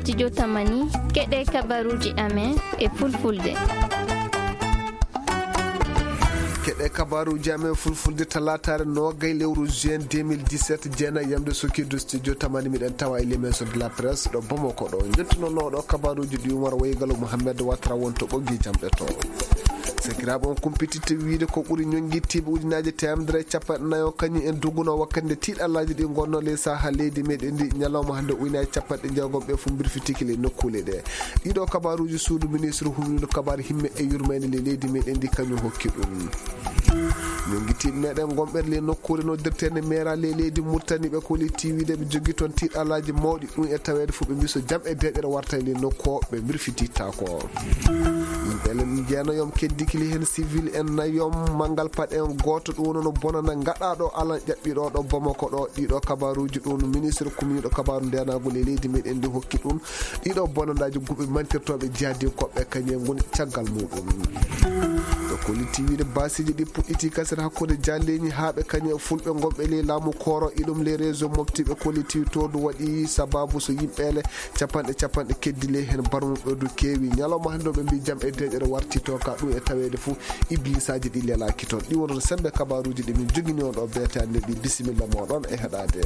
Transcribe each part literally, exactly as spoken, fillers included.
Studio Tamani, keɗe kabaruuji amen e fulfulde. Keɗe kabaruuji amen fulfulde talaataare noogay lewru juin deux mille dix-sept, jeenay yamde sokirdu studio Tamani, miɗen tawa e les maisons de la presse ɗo Bamako ɗo. Njettunooɗo kabaruuji ɗi Umar Waygalo Mohamed Watara won to ɓoggi jamɗe to. Sakiraaɓe, on kumpititte wiide ko ɓuri ñonngitiiɓe ujunaaji teemedere e capanɗe nayo kañum en dogunoo wakkati nde tiiɗallaaji ɗi ngonnoo ley saha leydi meɗen ndi ñalawma hannde, ujunaaji capanɗe jeegom ɓe fof mbirfitike ley nokkuule ɗe. Ɗiɗo kabaruuji suudu ministre humniiɗo kabaar himme e yurmeende ley leydi meɗen ndi kañum hokki ɗum. Ñonngitiiɓe meɗen gonɓe ley nokkuure noddirteende meera ley leydi Murtani ɓe koliti wiide ɓe jogii toon tiiɗallaaji mawɗi, ɗum e taweede fof ɓe mbii so jam e deeƴere warta e ley nokku o ɓe mbirfitittaako. Yimɓe len jeenayo keddikili heen, civil en nayo, manngal paɗe en gooto ɗum woni no bonana ngaɗaaɗo alan ƴaɓɓiiɗo ɗo Bamako ɗo. Ɗiɗo kabaruuji ɗum ministre kumniiɗo kabaaru ndeenaagu ley leydi meɗen ndi hokki ɗum. Ɗiɗo bonandaaji guɓe mantirtooɓe jihadinkooɓe kañe ngoni caggal muɗum. Ɓe kolliti wiide baasiiji ɗi puɗɗiti kasere hakkunde jaalleeñi haa ɓe kañe fulɓe ngonɓe ley laamu kooro iɗum ley réseau mofti ɓe kolliti toodu waɗi sababu so yimɓeele capanɗe capanɗe keddi ley heen barmuɓe du keewi. Ñalawma hannde o ɓe mbii jam e deeƴere warti to ka ɗum e taweede fof iblisaaji ɗi lelaaki toon. Ɗi wonno sembe kabaruuji ɗi min jogini on ɗo beete hannde ɗi. Bisimilla mooɗon e heɗaade.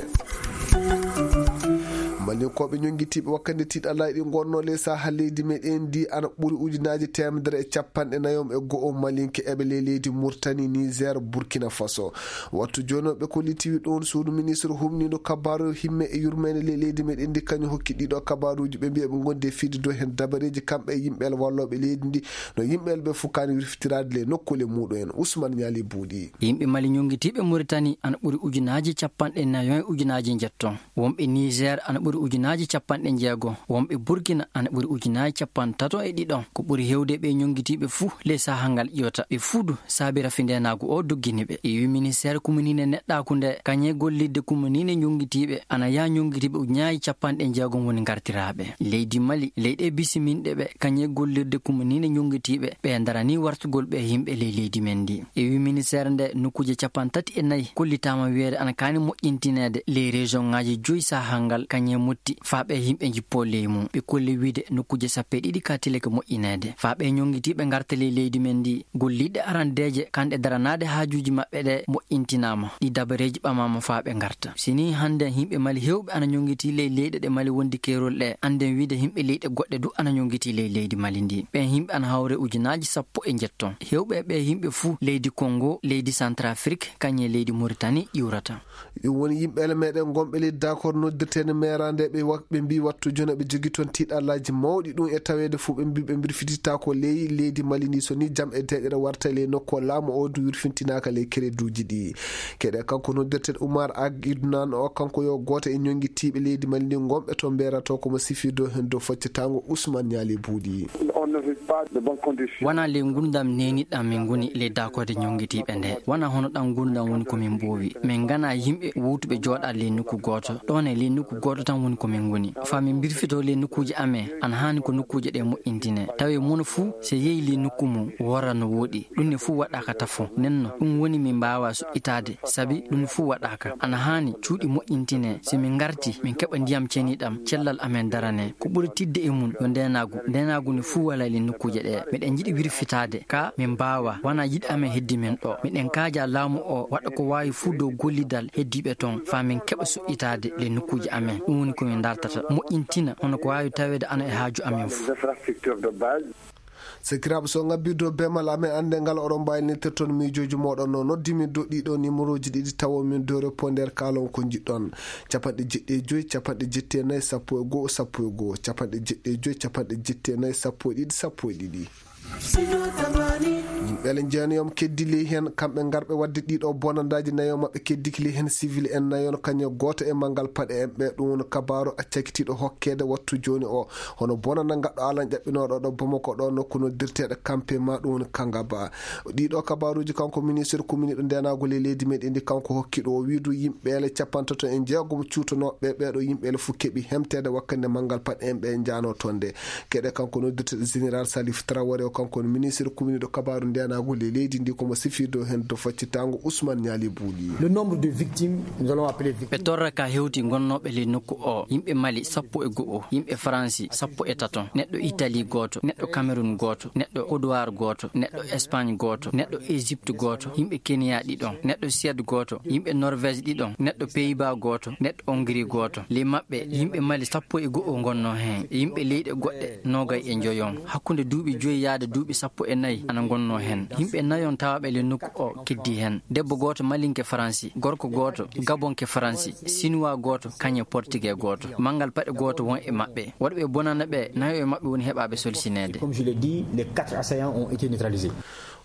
Malinkooɓe ñonngitiiɓe wakkati tiiɗallaaji ɗi ngonnoo ley saha leydi meɗen ndi ana ɓuri ujunaaji teemedere e capanɗe nayo e go'o Malinke eɓe ley leydi Murtani, Niger, Burkina Faso. Wattu jooni o ɓe kollitiwi ɗum suudu ministre humniiɗo kabaaru himme e yurmeende ley leydi meɗen ndi kañum hokki ɗiɗo kabaaruuji ɓe mbiya ɓe ngondi e fidde dow heen dabareeji kamɓe e yimɓe wallooɓe leydi ndi no yimɓe ɓe fof kaani wirfitiraade ley nokkuule muɗum en. Usman Ñaali Buuɗi. Yimɓe Mali ñonngitiiɓe Muritani ana ɓuri ujunaaji capanɗe nayo e ujunaaji njetto. Wonɓe Niger ana ɓuri ujunaaji capanɗe jeego, wonɓe Burkina ana ɓuri ujunaaji capanɗe tato e ɗiɗo. Ko ɓuri heewde ɓe ñonngitiiɓe fuu ley sahaa ngal ƴiwata ɓe fuu du saabi rafi ndeenaagu o doggini ɓe. Ƴeewi ministeer kuminiinde neɗɗaaku nde kañe gollirde kuminiinde ñonngitiiɓe ana yaha ñonngitiiɓe ujunaaji capanɗe jeegom woni ngartiraaɓe. Leydi Mali, leyɗe bisiminɗe ɓe kañe gollirde kuminiinde ñonngitiiɓe ɓe daranii wartugol ɓe yimɓe ley leydi men ndi. Ƴeewi ministeer nde nokkuuje capanɗe tati e nayi kollitaama wiyeede ana kaani moƴƴintineede ley rejoŋaaji joyi sahaa ngal kañe motti faa ɓee yimɓe njippoo ley mum. Ɓe kolli wiide nokkuuje sappo e ɗiɗi ka tilake moƴƴineede. Faa ɓee ñonngitiiɓe ngarta ley leydi men ndi, golliiɗe arandeeje kanɗe daranaade haajuuji maɓɓe ɗe moƴƴintinaama. Ɗi dabareeji ɓamaama faa ɓe ngarta. Si nii hannden yimɓe Mali heewɓe ana ñonngitii ley leyɗe ɗe Mali wondi keerol ɗe, annden wiide yimɓe leyɗe goɗɗe du ana ñonngitii ley leydi Mali ndi. Ɓeen yimɓe ana hawra e ujunaaji sappo e njetto. Heewɓe e ɓee yimɓe fuu leydi Konngo, leydi Santrafrik, kañe leydi Muritani ƴiwrata. Ɗum woni yimɓe ele meɗen gonɓe leydi Dakor noddirteende meeraande ɓe wa-, ɓe mbii wattu jooni ɓe jogii toon tiiɗallaaji mawɗi ɗum e taweede fof ɓe mbii ɓe mbirfitittaako ley leydi Mali ndi so nii jam e deeƴere warta ley nokku o laamu o du wirfintinaaka ley kereduuji ɗi. Keɗe kanko noddirteeɗo Umar Ag Idnan o kanko yo gooto e ñonngitiiɓe leydi Mali ndi gonɓe toon mbeerato ko mo sifii dow heen dow foccetaango Usman Ñaali Buuɗi. Wanaa ley ngurndam neeniiɗam min ngoni ley daakoode ñonngitiiɓe nde. Wanaa hono ɗam ngurndam woni ko min mboowi. Min nganaa yimɓe wowtuɓe jooɗaade ley nokku gooto. Ɗoon e ley nokku gooto tan woni ko min ngoni. Faa min mbirfitoo ley nokkuuje amen, ana haani ko nokkuuje ɗee moƴƴintinee. Tawee mono fuu, so yehi ley nokku mum, worra no wooɗi. Ɗum ne fuu waɗaaka tafo. Nden non, ɗum woni min mbaawaa suɓɓitaade, sabi ɗum fuu waɗaaka. Ana haani cuuɗi moƴƴintinee. So min ngartii, min keɓa ndiyam ceniiɗam, cellal amen daranee. Ko ɓuri tiiɗde e mum yo ndeenaagu. Ndeenaagu ne fuu walaa ley nokkuuje ɗee. Miɗen njiɗi wirfitaade, kaa min mbaawaa. Wanaa yiɗi amen heddi min ɗoo. Miɗen kaajaa laamu oo waɗa ko waawi fuu dow gollidal heddiiɓe toon, faa min keɓa suɓɓitaade ley nokkuuje amen. Ɗum woni ko min ndartata. Moƴƴintina, hono ko waawi taweede ana e haaju amen fuu. Sakiraaɓe, so ngabbirde beemal amen annde ngal, oɗon mbaawi neldirde toon miijooji mooɗon. No noddi min dow ɗiɗo nimerooji ɗiɗi, tawo min dow répondeur, kaalon ko njiɗɗon. Capanɗe jeɗɗi e joy, capanɗe jetti e nayi, sappo e go'o, sappo e go'o, capanɗe jeɗɗi e joy, capanɗe jetti e nayi, sappo e ɗiɗi, sappo e ɗiɗi. Yimɓe ele jeenayo keddii ley heen, kamɓe ngarɓe waɗde ɗiɗo bonandaaji, nayo maɓɓe keddikili heen, sivil en nayon, kañe gooto e manngal paɗe en ɓe. Ɗum woni kabaaru accakitiiɗo hokkeede wattu jooni o. Hono bonanda ngaɗɗo alan ƴaɓɓinooɗo ɗo Bamako ɗo nokku noddirteeɗo Kampe ma ɗum woni Kangaba. Ɗiɗo kabaaruuji kanko ministre kuminiiɗo ndeenaagu ley leydi meɗen ndi kanko hokki ɗo o wii du yimɓe ele capantato e jeegom cuutonooɓe ɓeeɗo yimɓe ele fof keɓi hemteede wakkati nde manngal paɗe en ɓe njaanoo toon nde. Keɗe kanko noddirteeɗo général Salif Traoré o kanko woni ministre kuminiiɗo kabaaru ndeenaagu Naagu ley leydi ndi ko mo sifirde o heen dow faccitaango Ousmane Niali Bouli. Le nombre de victimes, nous allons appeler victimes. Ɓe torra ka hewti gonnooɓe ley nokku o, yimɓe Mali sappo e go'o, yimɓe Faransi sappo e tato, neɗɗo Itali gooto, neɗɗo Kamerun gooto, neɗɗo Kodowar gooto, neɗɗo Espagne gooto, neɗɗo Egypte gooto, yimɓe Kenya ɗiɗon, neɗɗo Suède gooto, yimɓe Norvège ɗiɗon, neɗɗo Pays-Bas gooto, neɗɗo Hongrie gooto. Ley maɓɓe, yimɓe Mali sappo e go'o ngonnoo heen, e yimɓe leyɗe goɗɗe noogay e njoyon. Hakkunde duuɓi joy yaade duuɓi sappo e nayi ana ngonnoo heen. Yimɓe nayon tawaaɓe ley nokku o keddii heen. Debbo gooto malinke Faransi, gorko gooto gabonke Faransi, sinuwaa gooto kañe portugee gooto. Manngal paɗe gooto won e maɓɓe. Waɗɓe bonanda ɓe, nayo e maɓɓe woni heɓaaɓe solsineede. Comme je l'ai dit, les quatre assaillants ont été neutralisés.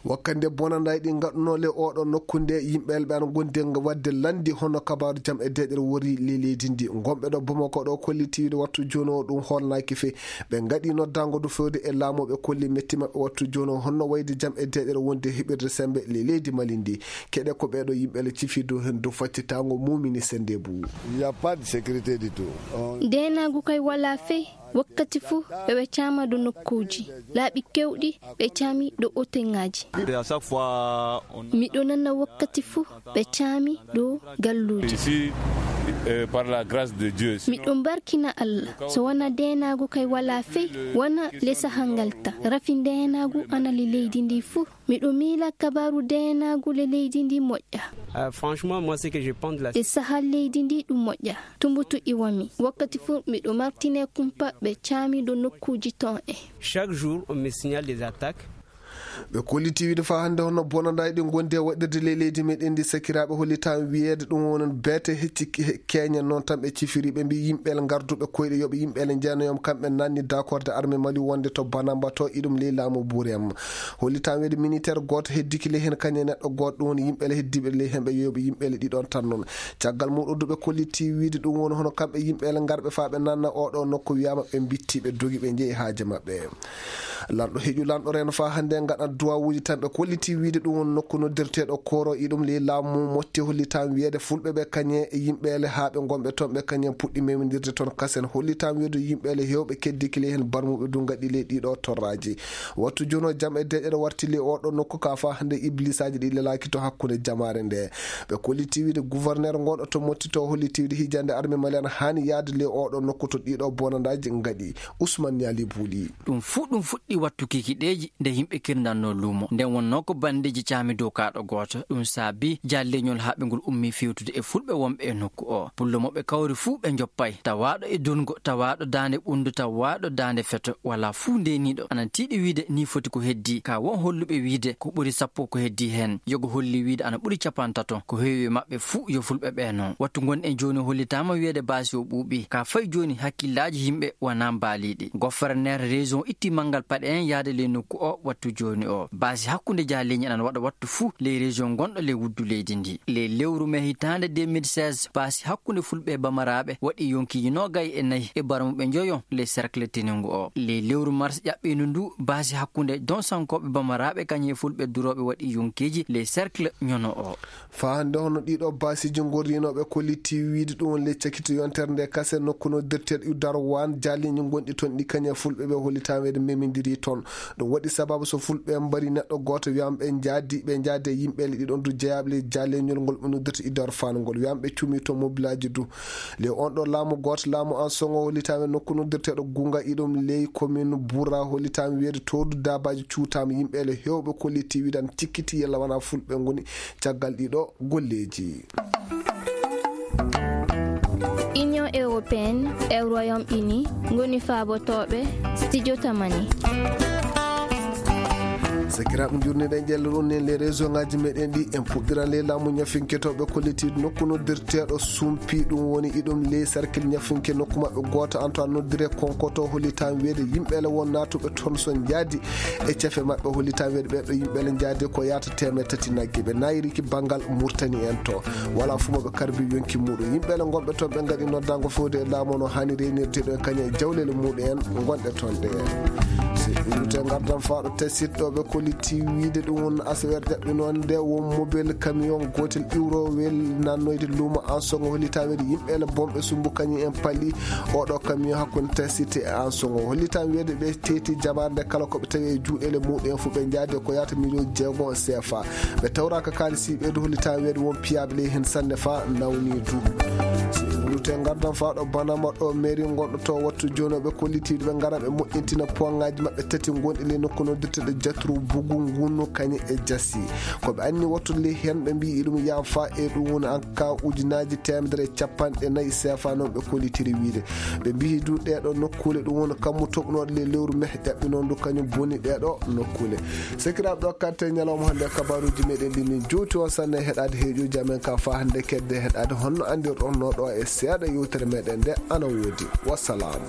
Wakkati nde bonandaaji ɗi ngaɗunoo ley oɗo nokku nde, yimɓe ɓe ana ngondi e waɗde lanndi hono kabaaru jam e deeƴere wori ley leydi ndi. Ngonɓe ɗo Bamako ɗo kollitii wiide wattu jooni o ɗum hoolnaaki fey. Ɓe ngaɗii noddaango du fewde e laamu, ɓe kolli metti maɓɓe wattu jooni o honno wayde jam e deeƴere wonde heɓirde semmbe ley leydi Mali ndi. Keɗe ko ɓee ɗo yimɓe le cifi dow heen dow faccitaango Mumini Sendebu. Il n'y a pas de sécurité du tout. On- Deenaagu kay walaa fey. Wakkati fuu eɓe caama ɗo nokkuuji, laaɓi keewɗi ɓe caami ɗo oteŋaaji. Et à chaque fois, on- Miɗo nana wakkati fuu ɓe caami ɗo galluuji. Ici, euh, par la grâce de Dieu. Miɗo barkina Alla, so wanaa deenaagu kay walaa fey, wanaa le sahaa ngal tan. Rafi deenaagu ana le leydi ndi fuu. Miɗo miila kabaaru deenaagu le leydi ndi moƴƴa. Euh, franchement, moi, ce que je pense de la- E sahaa leydi ndi ɗum moƴƴa. Tumbutu iwami. Wakkati fuu miɗo martine kumpa ɓe caami ɗo nokkuuji ton e. Chaque jour, on me signale des attaques. Ɓe kollitii wiide faa hannde hono bonandaaji ɗi ngondi e waɗirde ley leydi meɗen ndi, sakiraaɓe, hollitaama wiyeede ɗum woni beete hecci ke-, keeñen noon tan ɓe cifiri. Ɓe mbii yimɓe le ngarduɓe koyɗe yoɓe yimɓe le njeenayoom kamɓe nanni dakorde armée Mali wonde to Banamba to iɗum ley laamu Burem. Hollitaama wiyeede militeer gooto heddiki ley heen kañum e neɗɗo gooto ɗum woni yimɓe le heddiiɓe ley heen ɓe yoɓe yimɓe le ɗiɗon tan noon. Caggal muuɗum du ɓe kollitii wiide ɗum woni hono kamɓe yimɓe le ngarɓe faa ɓe nanna oɗo nokku wiyaama ɓe mbitti ɓe dogi ɓe njehi haaje maɓɓe. Lanɗo heƴu lanɗo reeno faa hannde ngaɗa duwawuuji tan ɓe kollitii wiide ɗum woni nokku noddirteeɗo Koro iɗum ley laamu Motti hollitaama wiyeede fulɓe ɓe kañe e yimɓe le haa ɓe ngonɓe toon ɓe kañen puɗɗi memindirde toon kasen hollitaama wiyeede yimɓe le heewɓe keddiki ley heen barmuɓe du ngaɗi ley ɗiɗo torraaji. Wattu jooni o jam e deeƴere warti ley oɗo nokku ka faa hannde iblisaaji ɗi lelaaki to hakkunde jamaare nde. Ɓe kollitii wiide gouverneur ngonɗo to Motti to holliti wiide hijande armée Mali ana haani yaade ley oɗo nokku to ɗiɗo bonandaaji ngaɗi. Ousmane Niali Buuli. Ɗum fuu ɗum fuɗɗi wattu kikiɗeeji nde yimɓe kirndanno luumo. Nden wonnoo ko banndeeji caami dow kaaɗo gooto. Ɗum saabi jaalleeñol haɓengol ummii fewtude e fulɓe wonɓe e nokku oo. Pullo mo ɓe kawri fuu ɓe njoppay. Tawaaɗo e dulngo, tawaaɗo daande ɓunndu, tawaaɗo daande feto, walaa fuu ndeeniiɗo. Ana tiiɗi wiide nii foti ko heddii. Ka won holluɓe wiide ko ɓuri sappo ko heddii heen. Yogo holli wiide ana ɓuri capantato. Ko heewi e maɓɓe fuu yo fulɓe ɓee non. Wattu ngonɗen jooni hollitaama wiyeede baasi o ɓuuɓii. Ka fay jooni hakkillaaji yimɓe wanaa mbaaliiɗi. Goferneer région itti manngal paɗe en yaade ley nokku oo wattu jooni oo. Baasi hakkunde jaaleeñi ana waɗa wattu fuu ley région ngonɗo ley wuddu leydi ndi. Ley lewru mee hitaande deux mille seize, baasi hakkunde fulɓe e bamaraaɓe waɗi yonkiiji noogay e nayi e barmuɓe njoyo ley cercle teningu oo. Ley lewru mars ƴaɓɓiindu ndu, baasi hakkunde donsankooɓe bamaraaɓe kañum e fulɓe durooɓe waɗi yonkiiji ley cercle ñono oo. Faa hannde hono ɗiɗo baasiiji ngorriinooɓe kollitii wiide ɗum woni ley cakito yontere nde kase nokku noddirteeɗo Darwan jaaliiñi ngonɗi toon ɗi kañum e fulɓe ɓe hollitaama wiyeede memindirii toon. Ɗum waɗi sababu so fulɓe mbari neɗɗo gooto wiyaama ɓe njaadi, ɓe njaadi e yimɓe le ɗiɗon du jeyaaɓe ley jaaleeñol ngol ɓe noddirta Idar Faan ngol. Wiyaama ɓe cuumii toon mobilaaji du. Ley on ɗo laamu gooto, laamu an Songo hollitaama nokku noddirteeɗo Gunga iɗum ley commune Bura hollitaama wiyeede toodu daabaaji cuutaama yimɓe le heewɓe kollitii wiide ana cikkiti yalla wanaa fulɓe ngoni caggal ɗiɗo golleeji. Union européenne e Royaume-Uni ngoni faabotooɓe studio Tamani. Sakiraaɓe, njurniiɗen ƴelle ɗum nen ley réseau ŋaaji meɗen ɗi, en puɗɗiran ley laamu ñafinke to ɓe kollitiiɗo nokku noddirteeɗo Sumpi, ɗum woni iɗum ley sarkil ñafinke nokku maɓɓe gooto Antoine noddire Konkoto, hollitaama wiyeede yimɓe le won naatuɓe toon so njaadi e cefe maɓɓe, hollitaama wiyeede ɓee ɗo yimɓe le njaadi ko yaata teemeɗɗe tati nagge. Ɓe naayiriki banngal Murtani en to. Walaa fuu mo ɓe karbi yonki muuɗum. Yimɓe le ngonɓe toon ɓe ngaɗi noddaango fewde e laamu no haani reynirde ɗo e kañum e jawleele muuɗum en ngonɗe toon ɗe. Si iwrite ngardan faa ɗo tesiɗo ɓe kolli Ti wiide ɗum won asaweere ƴaɓɓinoonde won mobel kamiyon gootel iwrowel nannoyde luumo ansogo hollitaa weede yimɓe ele bomɓe sumbu kañum en pali oɗo kamiyon hakkunde tesite e ansogo hollitaa weede ɓe teeti jabaande kala ko ɓe tawi e juuɗeele muɗum en fof ɓe njaadi ko yaata miliyon jeego sefa. Ɓe tawraaka kaalisi ɓeydu hollitaa weede won piyable hen sannde fa nawni du. Rute ngardan fa ɗo banama ɗo mairie gonɗo to wattu jono ɓe kollitiiɗo ɓe ngara ɓe moƴƴintina poŋaaji maɓɓe tati gonɗi ley nokku noddirteɗo jatru bugu ngunu kañe e jasi. Ko ɓe anni wattude ley hen ɓe mbiyi iɗum yaafa e ɗum woni an ka ujunaaji teemedere e capanɗe nayi sefa noon ɓe kollitiri wiide. Ɓe mbiyi du ɗeeɗo nokkuule ɗum woni kammu toɓnooɗo ley lewru meh ƴaɓɓi noon du kañum boni ɗeeɗo nokkuule. Sekiraaɓe ɗo karte ñalawma hannde kabaruuji meɗen ɗi min jowti on sanne heɗaade heeƴuuji amen ka fa hannde kedde heɗaade honno anndirɗon no ɗo e seeɗa yewtere meɗen nde ana woodi. Wassalaamu.